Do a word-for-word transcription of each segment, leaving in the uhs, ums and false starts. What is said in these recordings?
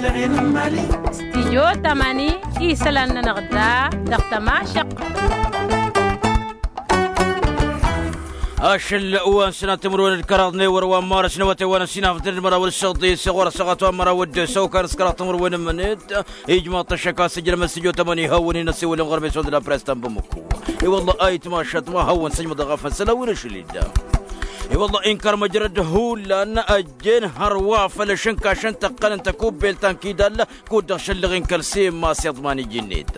Stijyo tamani isălan-nănăɣ da dăɣ-tămašăq. Ašăl wa n-sănat timǝrwen d-kăraḍ n-ewăr wa n-marăs n-awătay wa n-ăsinafăt d-măraw d-săḍis ɣur-ăsăɣat wa n-măraw d-săwkar s-kăraḍ timǝrwen n-imǝnet. Ijmaḍ-t ăššăk a-s ǝjrăm ăssijo tămăni hawăn-in ăssiwǝlăn ɣur-meson d-apress ta n-bamăko. I-wălla ayǝtmašăt ma hawăn-sǝjmăḍ ăɣafăn sălawin ašăl-dd. I-wălla inkăr măjrăd hullan ăjjeen hărwa făll-ašǝnkašăn tăqqăn n-tăkubbelt ta n-kidall. Kud-dăɣ šăllăɣ-in kăl-semmas iḍman iji-net.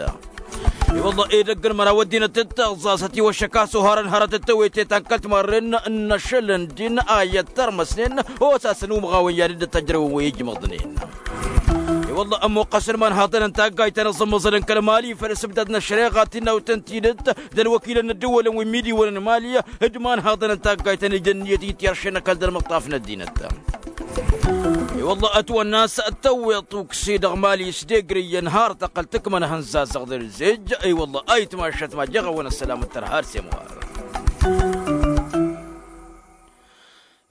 I-wălla edăgg n-măraw ăddinăt d-taẓẓasăt iwăššăk a-s oharăn hărăt d-tewete ta n-kăl-timarren n-ašăl n-din a iyyăt tărmăsnen osasăn umɣawăn i-ad-dd-tăjrăwăn wi ijmăḍnen. I-wălla ămmuqqăsăn imanhaḍăn n-taggayt ta n-aẓǝmmăẓăl n-kăl-mali făll-asǝbdad n-ăššăreɣa tinnawt n-tidǝt d-ălwăkilăn n-ăddǝwălăn wi n-imidiwăn n-mali d-imanhaḍăn n-taggayt ta n-ija ǝnniyăt ityăršen ăkall d-ălmăṭṭaf n-ăddinăt. I-wălla ătwănna a-s tăwweḍ ukse dăɣ-mali s-degrǝyyăn har tăqqăl tǝkmănăhăn zazăɣ d-ălzej. I-wălla ayǝtmašăt ma jeɣ-awăn ăssălam d-tărha d-semɣar.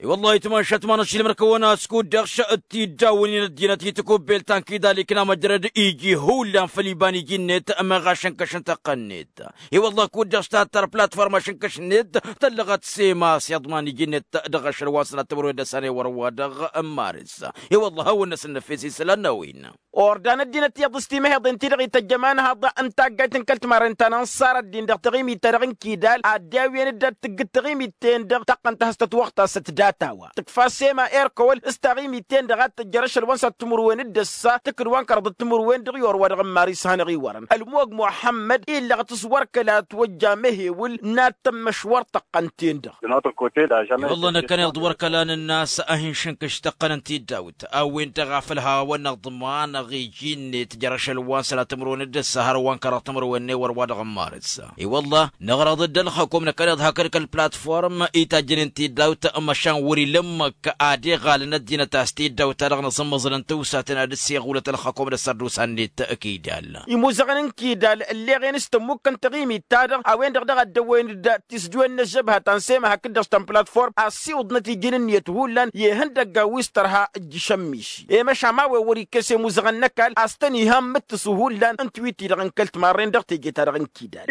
I-wălla ayǝtmašăt ma n-ašilmăr-kăwăn a-s kud-dăɣ š-tiddawăn-in ăddinăt i-tikubbelt ta n-kidal ikna măjrăd iji hullan făll-iba n-iji-net meɣ ašǝnkăš n-tăqqăn-net. I-wălla kud-dăɣ s-tattăr platforma ašǝnkăš-net tăllăɣăt sema s-iḍman iji-net dăɣ-ašăl wa n-sănat timǝrwen d-ăssan ewăr wa dăɣ-n maris. I-wălla hawăn-năsăn năfes isălan n-a-wen. Ordan ăddinăt iyyăḍ s-timăheḍen-ti-dăɣ ităjj ămanhaḍ n-taggayt n-kăl-timarren ta n-ănṣar ăddin dăɣ-taɣimit-ta-dăɣ n-kidal ad-dd-awǝyăn dd-ad-tǝggǝd taɣimit-ten-dăɣ taqqăn tahǝstăt wăɣ-tasăt data-wa tǝkfa sema erkăwăl s-taɣimit-ten-dăɣ ad-tǝjjăr ašăl wa n-sănat timǝrwen d-ăssa tǝkǝd wa n-kăraḍăt timǝrwen dăɣ-i orwa dăɣ-n maris hanăɣ-iwărăn ălmog muḥămmăd illăɣăt s-wăr kăla ătwăjja amăhewǝl n-ad-tămmăšwăr tăqqăn-ten-dăɣ. I-wălla năkkăneḍ wăr kăla nǝnn'-as a hin-šǝnkǝš tăqqăn n-tiddawt a-wen-dăɣ a făl hawăn-năḍmanăɣ iji-net jer-ašăl wa n-sănat timǝrwen d-ăssa hărwa n-kăraḍ timǝrwen n-ewăr wa dăɣ-n marǝs. I-wălla năɣrăḍ-dd ălxăkom năkkăneḍ hakd kăl-platform itajjănen tiddawt măšan wăr-ila ǝmmǝk ad-iɣalăn ăddinăt a-s tiddawt-ta-dăɣ n-aẓǝmmăẓǝl n-tiwsaten ad-dd-siɣulăt ălxăkom d-ăssărdusa-net. Kidal imuzăɣăn n-kidal ǝlleɣen s-tămmukkăn taɣimit-ta-dăɣ a-wen-dăɣ daɣ a dd-ăwwăyăn-dd tisdǝwen n-ăžžăbha ta n-sema hakd-dăɣ s-tăn-platform a ăssiwǝḍnăt iji n-ǝnniyăt hullan i-ihăndăgga wi s-tărha ǝjjǝš ămmiši i-măšan ma-wen wăr ikkes i-imuzăɣăn n-ăkall a-s tăn-iha n-imǝttǝsu hullan n-tiwit-ti-dăɣ n-kăl-timarren dăɣ-teje-ta-dăɣ n-kidal.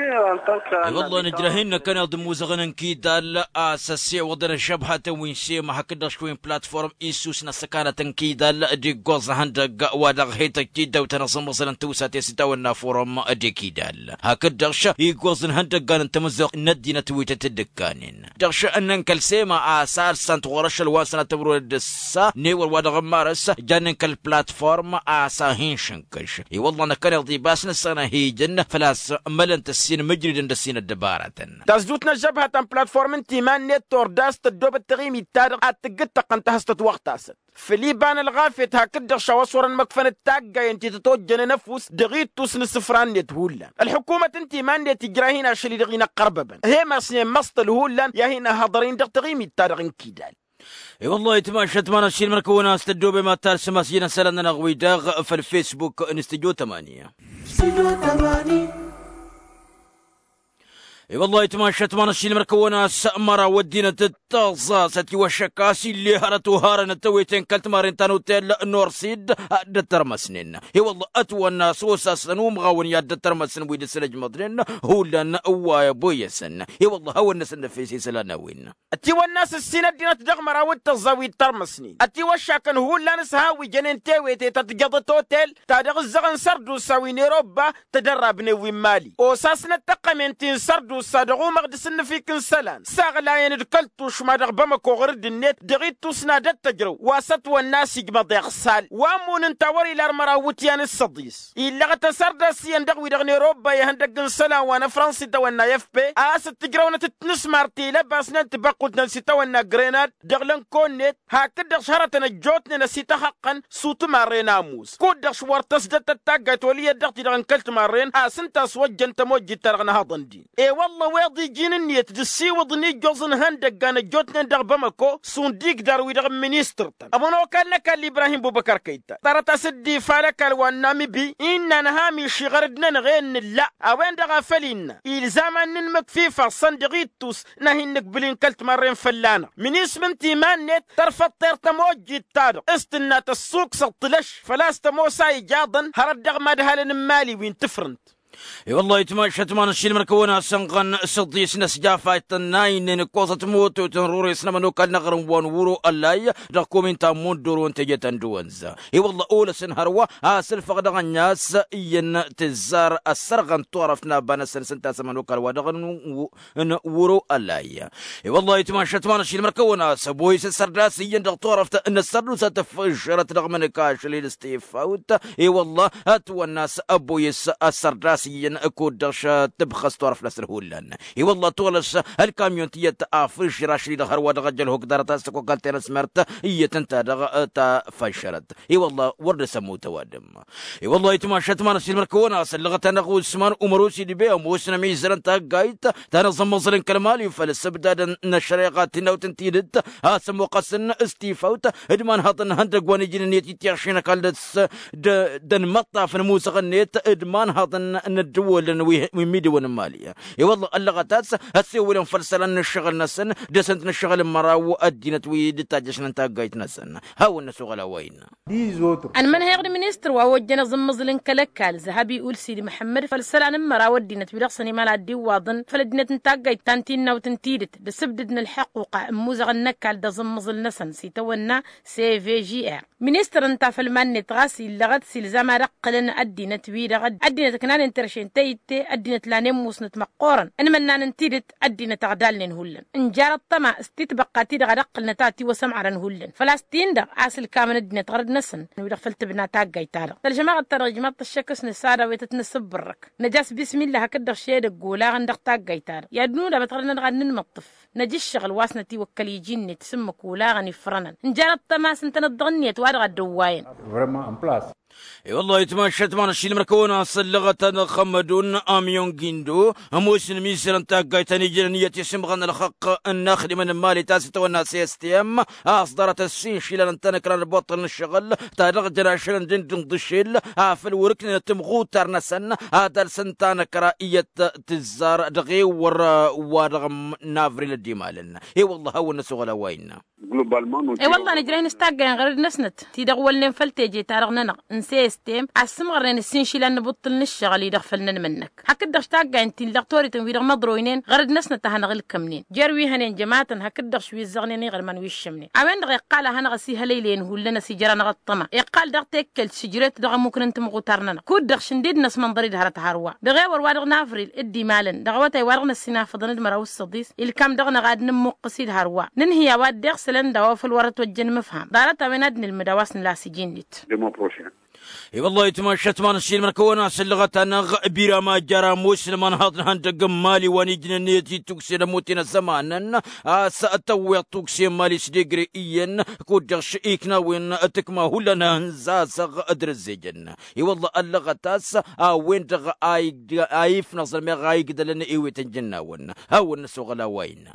I-wălla nǝjrăh-in năkkăneḍ d-imuzăɣăn n-kidal a-s ăssiwăḍăn ăžžăbhatăn wi n-sema hakd-dăɣ šwăyy n-platform issus n-ăssăkanăt n-kidal d-iggoẓ ihăndăgg wa dăɣ-he-tăjj tiddawt ta n-aẓǝmmăẓǝl n-tiwsaten s-itawănna forum d-ikidal. Hakd-dăɣ š-iggoẓ n-ihăndăggan n-tamǝzzuɣt n-ăddinăt wi tăt-dd-ǝkkanen dăɣ-š ǝnnăn kăl-sema a-s alsant ɣur-ašăl wa n-sănat timǝrwen d-ǝssa n-ewăr wa dăɣ-n marăs jannen kăl-platform a-s a hin-šǝnkǝš. I-wălla năkkăneḍ-i ba s-nǝssănăhijăn făl-a-s mălăn-t ǝssin mǝjridăn d-ǝssin ăddăbarătăn. Tasdut n-ăžžăbha ta n-platform ǝnta iman-net tor da-s tăddoobăt taɣimit-ta-dăɣ ad-tǝggǝd tăqqăn tahǝstăt wăɣ-tasăt făll-iba n-ălɣafyăt hakd-dăɣ šawa s-wărăn măkfăn d-taggayen ti tătojjănen ăfuss dăɣ-ittus n-isǝfra-net hullan ălḥukumăt ǝnta iman-net ijrah-in ašăl-i-dăɣ inăqqărbăbăn. He-masnen măṣṭăl hullan i-ad-hin-ăhhăḍăr-in dăɣ-taɣimit-ta-dăɣ n-kidal. I-wăllah ayǝtmašăt ma n-ašilmăr-kăwăn a-s tăddoobem ad-talsăm a-s ijăn isălan-nănăɣ wi-dăɣ făll-fesbuk n-studyo tămani. I-wăllah ayǝtmašăt ma n-ašilmăr-kăwăn a-s măraw ăddinăt d-taẓẓasăt iwăššăk a-s ill'-e hărăt oharăn ăttăwete n-kăl-timarren ta n-otel norsid ad-dd-ăttărmăsnen. I-wăllah ătwănna a-s osasăn umɣawăn i-ad-dd-ăttărmăsnen wi dăr-s ălăjmăḍnen hullan wa ăboyăsăn. I-wăllah hawăn-năsăn năfes isălan n-a-wen. Ătiwănna a-s ǝssin ăddinăt dăɣ-măraw d-tăẓẓa wi ǝttărmăsnen ătiwăššakăn hullan s-ha wi jănen tewete ta tǝjăḍăt otel ta dăɣ-ǝzzăɣăn sărdusa wi n-erobba tădărrabnen wi n-mali osasnăt tăqqămen ti n-sărdusa dăɣ-umăɣ d-asǝnnǝfik n-isălan s-aɣlayăn d-kăl-tušma dăɣ-bamăko ɣur-dd-net dăɣ-ittus n-ad-ăttăjrăw wa s-ătwănna a-s ijmăḍ iɣsal wa ămmun ǝnta a wăr-ila ar măraw iwǝtyan s-săḍis. Illăɣăt asărdas iyyăn dăɣ-wi-dăɣ n-erobba i-ihăndăgg n-isălan wa n-ăfrăns itawănna i-f p a-s dd-tǝjrăwnăt d-tinǝsmar ti lăbasnen tibăqqult-nănăɣ s-itawănna grenad dăɣ-lănko-net hakd-dăɣ s-hărătăn ăjjootnen ăsităxăqqăn s-utimarre n-amus kud-dăɣ s-wăr tăsdăt taggayt wăl' iyyăt dăɣ-ti-dăɣ n-kăl-timarren a-s ǝnta a-s wăjjăn tămojjit-ta-dăɣ n-ehăḍăn-din. Wălla weḍ iji n-ǝnniyăt d-ǝssiwǝḍăn ijjoẓ n-ihăndăggan ăjjootnen dăɣ-bamăko šund igdar-wi-dăɣ n-ministăr-tăn ămănokal n-ăkall ibrahim bubăkar kăyta tăra ta s-dd-ifa n-ăkall wa n-namibi innă nǝha miši ɣărăd-nănăɣ i-dd-nǝlla a-wen-dăɣ a făl innă ilzam ad-nǝnmǝkf ifassăn dăɣ-ittus n-ad-hin-nǝkbǝl inkăl timarren fălla-năɣ minismǝnt iman-net tărfăḍ tirr tămojjit-ta-dăɣ s-tǝnna tăssuksăḍ tǝlăš făl-a-s tămoos a ijaḍăn hărăt dăɣ-imadhalăn n-imali wi n-tǝfrǝnt. I-wăllah itmašat ma n-ašilmăn kăwăn-asănɣăn s-ăḍis n-ăsjafayt tănnaynen ǝkkoẓăt mototăn rures n-ămănokal n-aɣrǝm wa n-wuro ălay dăɣ-komin ta n-mondor wa n-teje ta n-dăwănza. I-wăllah olăsăn hărwa a-s ǝlfăɣ dăɣ-ănnas iyyăn tǝzzar ăssărɣăn turăft n-aba-năsăn s-ǝnta a-s ămănokal wa dăɣ-n wuro ălay. I-wăllah itmašat ma n-ašilmăn kăwăn-asăbo i-s ăssărdas iyyăn dăɣ-turăft n-ăssărdusa tǝfšărăt dăɣ-mănăkašăl i-dăɣ s-tifawt. I-wăllah ătwănna a-s ăbboyes ăssărdas iyyăn kud-dăɣ šăt tǝbxăs turăft-năsăn hullan. I-wăllah tolăs ălkamyon tiyyăt afǝžrašăl-i-dăɣ hărwa dăɣ-ăjălhuk ḍarăt a-s tăkokalt i-anăsmărt iyyăt ǝnta dăɣ-ta făššărăt. I-wăllah wăr dăr-s ămmut ăwadǝm. I-wăllah itmašat ma n-ašilmăn kăwăn-asăllăɣăt-anăɣ usman umăr osidbe ămoosnăm izărăn taggayt ta n-aẓǝmmăẓǝl n-kăl-mali făll-ăssăbdadăn n-ăššăreɣa tinnawt n-tidǝt a-s ămmuqqăsăn s-tifawt d-imanhăḍăn n-ihăndăgg wa n-ijnăn i-tittiɣši n-ăkall dăɣ-s d-ănmăṭṭaf n-imuzăɣ-net d-imanhăḍăn n-ăddǝwălăn wi n-imidǝwăn n-mali. I-wălla ăllăɣăt a-s ăssewălăn făll-isălan n-ǝššăɣǝl-năsăn dăr-săn-t n-ǝššăɣǝl n-măraw ăddinăt wi dd-tajjăšnen taggayt-năsăn. Hawăn-năsoɣăl a-wa innă. Ănmănheɣ d-ministăr wa ojjăn aẓǝmmăẓǝl n-kăl-ăkall zăhăbi ulsid măḥămmăd făll-isălan n-măraw ăddinăt wi dăɣ-săn imal ad-dd-iwwaḍăn făll-ăddinăt n-taggayt ta n-tinnawt n-tidǝt d-asǝbdǝd n-ălḥăqquqa ǝmmuzăɣăn n-ăkall d-aẓǝmmăẓǝl-năsăn s-itawănna. Cvgr ministăr ǝnta făll-iman-net ɣas illăɣăt s-ilzam ad-ǝqqǝlăn ăddinăt-wi-dăɣ ăddinăt ǝknanen terše n-teyǝtte ăddinăt lanen musnăt măqqoorăn ănmănnan n-tidǝt ăddinăt ăɣdalnen hullan. Ǝnjar ăṭṭăma s-titbăqqa-ti-dăɣ ad-ǝqqǝlnăt a tiwăsămărăn hullan făl-a-s-tin-dăɣ a-s ǝlkamăn ăddinăt ɣărăd-năsăn wi-dăɣ făll-tǝbna taggayt-ta-dăɣ tălžămaɣăt-ta-dăɣ ijmaḍ-t ăššăk s-nǝsada a-wa ităt-nǝsǝbbărrăk. Năj'-as bismillah hakd-dăɣ šedăgg olaɣăn dăɣ-taggayt-ta-dăɣ i-ad-nǝnudabăt ɣărăd-nănăɣ ad-nǝnmăṭṭǝf. Năj' ǝššăɣǝl wa s-nătiwăkkăl iji-net s-ǝmmǝk olaɣăn ifrănăn ǝnjarăt tămas ǝntăneḍ dăɣ-ǝnniyăt wa dăɣ-ad-dăwwayăn. I-wăllah itmašat ma n-ašilmăn kăwăn-asăllăɣăt ad-xămmădun amyon gindo ămoos n-imizărăn taggayt ta n-ijrăn iyyăt isǝmɣăn ălxăqq n-inaxdimăn n-imali ta s-itawănna s-s t m a-s ḍarăt ăssin išilan ǝntănăkran ălbuṭṭăl n-ǝššăɣǝl ta dăɣ-jăn ašăl n-dăɣ-dăɣ dăɣ-ašăl afăl wăr-ǝknenăt timɣutar-năsăn ad-alsăn tanăkra iyyăt tǝzzar dăɣ-ewăr wa dăɣ-navril ăddimalăn. I-wăllah hawăn-năsoɣăl a-wa innă. I-wăllah nǝjrăh-in s-taggayăn ɣărăd-năsnăt ti-dăɣ wălnen făll-teje-ta-dăɣ-nănăɣ n-sestem a ǝssǝmɣărnen ǝssin išilan n-ibuṭṭǝl n-ǝššăɣǝl-i-dăɣ făll-nănmănnăk hakd-dăɣ s-taggayăn ti n-lăɣ toriten wi-dăɣ măḍroynen ɣărăd-năsnăt a hanăɣ-ǝlkămnen jer-wi hănen jămatăn hakd-dăɣ š-wi ǝzzăɣnen iɣrǝman wi ǝššămnen. A-wen-dăɣ iqqal a hanăɣ-ăsihălăylăyăn hullan ăsijăr-anăɣ ăṭṭăma iqqal daɣ tekkelt šǝjret dăɣ-ămmuk n-timɣutar-nănăɣ kud-dăɣ šǝndid-năsmănḍăr-dd hărăt hărwa dăɣ-ewăr wa dăɣ-navril d-imalăn dăɣ-awătay wa dăɣ-năssinafăḍăn d-măraw s-săḍis ilkam dăɣ-năɣ ad-nǝmmuqqǝs-dd hărwa nǝnhǝy a-wa dd-iɣsǝlăn d-a-wa făl wăr-ătwăjjăn imǝfham ḍarăt-a-wen ad-nǝlmǝd a-wa s-nǝla s-iji-net. I-wăllah itmašat ma n-ašilmăn kăwăn-asăllăɣăt-anăɣ birama jarra musǝlman haḍ n-ihăndăgg n-imali wa n-ijnăn i-dd-tuksen ămuten ăzzămanăn a-s tăwweḍ tukse n-imali s-degre iyyăn kud-dăɣ š-iknawen tǝkma hullan hănzazăɣ d-răzzejăn. I-wăllah ăllăɣăt a-s a-wen-dăɣ a ifnăẓăn meɣ a igdălăn ewetăn jǝnnawăn. Hawăn-năsoɣăl a-wa innă.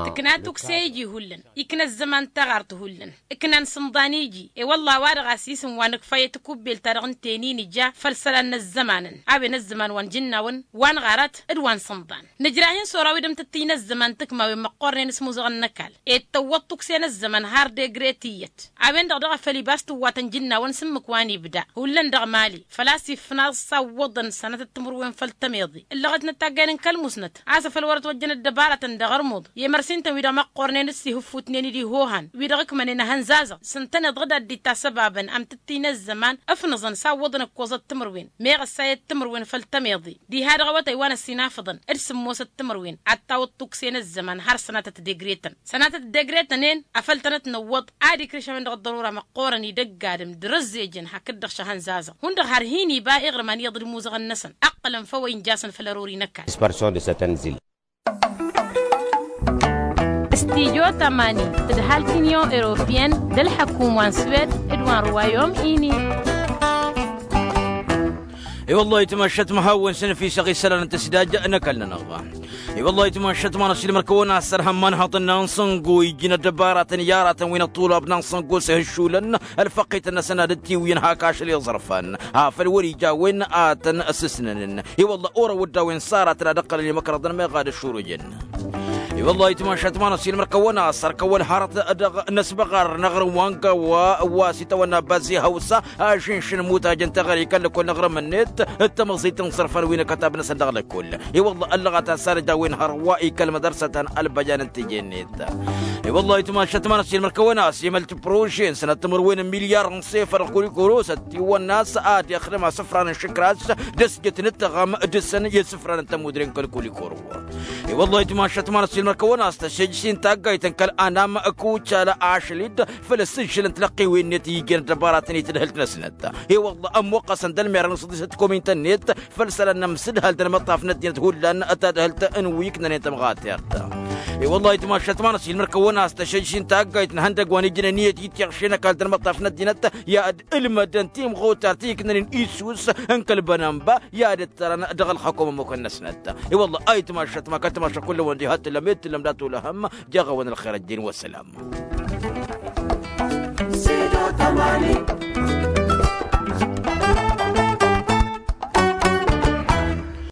Tǝkna tukse iji hullan ikna ăzzăman taɣart hullan ǝknan sǝmḍan iji i-wălla a-wa-dăɣ a-s isǝm wa nǝkfa i-tikubbelt-ta-dăɣ n-tenin ija făll-isălan n-ăzzămanăn a-wen ăzzăman wa n-jǝnnawăn wa n-ɣarat d-wa n-sǝmḍan. Nǝjrah-in s-ora wi dăm-tǝttǝy n-ăzzăman tǝkmawen măqqornen s-imuzăɣăn n-ăkall ed tăwwăḍ tukse n-ăzzăman har degre tiyyăt. A-wen-dăɣ daɣ a făl ibas tǝwwatăn jǝnnawăn s-ǝmmǝk wa n-ibda hullan dăɣ-mali făl-a-s ifnaẓ s-awwăḍăn sănatăt timǝrwen făll-tămeḍe ǝllăɣătnăt taggayăn n-kăl-musnăt a-s afăl wăr-ătwăjjăn ăddăbarătăn dăɣ-ărmuḍ i-emărsinten-wi-dăɣ măqqornen d-sihǝffutnen d-ihohan wi-dăɣ ǝkmănen ahănzazăɣ s-ǝntăneḍ ɣǝd ad-dd-ittasăbabăn amtǝttǝy n-ăzzăman ǝfnǝẓăn s-awwăḍăn ǝkkoẓăt timǝrwen meɣ ăssayăt timǝrwen făll-tămeḍe. Diha dăɣ-awătay wa n-ăssinafăḍăn d-sǝmmosăt timǝrwen ad-tawǝḍ tukse n-ăzzăman har sănatăt degretăn sănatăt degretăn-en afăl tănăt-năwwăḍ ad-ikrǝš a-wen-dăɣ ăḍḍărura măqqoorăn idăgg adǝm d-răzzejăn hakd-dăɣ šăhănzazăɣ hundăɣ har hin-iba iɣrǝm aniyyăḍ d-imuzăɣăn-năsăn ăqqălăn făw a injasăn făll-ărori n-ăkall. Stijo tămani d-halk inyon europiyăn d-ălḥăkum wa n-swed d-wa n-ruwayom ini. I-wăllah ayǝtmašat ma hawăn-săn ăfisăɣ isălan n-tǝsdaj n-ăkall-nănăɣ. I-wăllah ayǝtmašat ma n-ăsilmăr kăwăn-asăr hămman haḍăn n-ansăngo iji n-ăddăbaratăn i-aratăn wi n-ăṭṭulab n-ansăngo s-ihǝššulăn ălfăqqităn-năsăn ad-dd-tiwǝyăn hak ašăl iẓrǝfan afăl wăr-ija a-wen ad-tăn-ăssǝsnănăn. I-wăllah orăw-dd a-wen s-aratăn ad-ǝqqălăn i-măkrăḍăn meɣ ad-ăššurǝjăn. I-wăllah ayǝtmašat ma n-ăsilmăr kăwăn-asăr kăwăn-hărăt dăɣ-inăsbăɣar n-aɣrǝm wa n-găwwa wa s-itawănna bazzi hawsa ašǝnšǝn mutaj n-teɣăre i-kăl-lăkkol n-aɣrǝm-net d-tamăẓit n-iẓrǝfan wi n-akătab-năsăn dăɣ-lăkkol. I-wăllah ăllăɣăt a-s arǝj a-wen hărwa i-kăl-mădărsătăn ălbăjan n-teje-net. I-wăllah ayǝtmašat ma n-ăsilmăr kăwăn-asăr i-mălt prože n-sănăt timǝrwen n-milyar n-sefăr ălkulikoro s-ăttiwănna a-s ad-ixdăm asǝfran n-išǝkras d-ăsjăt n-ǝttăɣăm dăr-săn i-asǝfran n-tămudre n-kăl-kulikoro. I-wăllah ayǝtmašat ma n-ăsilmăr kăwăn-asăr tăššăjjăš-in taggayt n-kăl-anam kucală ašăl-dd făll-ăssǝžžǝl n-tilăqqiwen-net iji n-ăddăbaratăn i-tadhǝlt-năsnăt. I-wălla ămmuqqăsăn d-ălmer n-săḍisăt komintăn-net făll-isălan n-amsǝdhăl d-ălmăṭṭaf n-ăddinăt hullan tadhǝlt n-wi ǝknănen tămɣatert. I-wălla ayǝtmašat ma n-ăsilmăr kăwăn-asăr tăššăjjăš-in taggayt n-ihăndăgg wa n-ijnen iyyăt ittiyăɣšen ăkall d-ălmăṭṭaf n-ăddinăt i-ad-ǝlmădăn timɣutar ti ǝknănen isus n-kăl-bănănba i-ad-ǝttărăn dăɣ-ălxăkum ămmukăn-năsnăt. I-wălla ayǝtmašat ma kăl-tămašăk kull-wăn diha t-tǝllăm i-t-tǝllăm dat-olăhăm. Jaɣ-awăn ălxer ăjjeen wa s-sălam.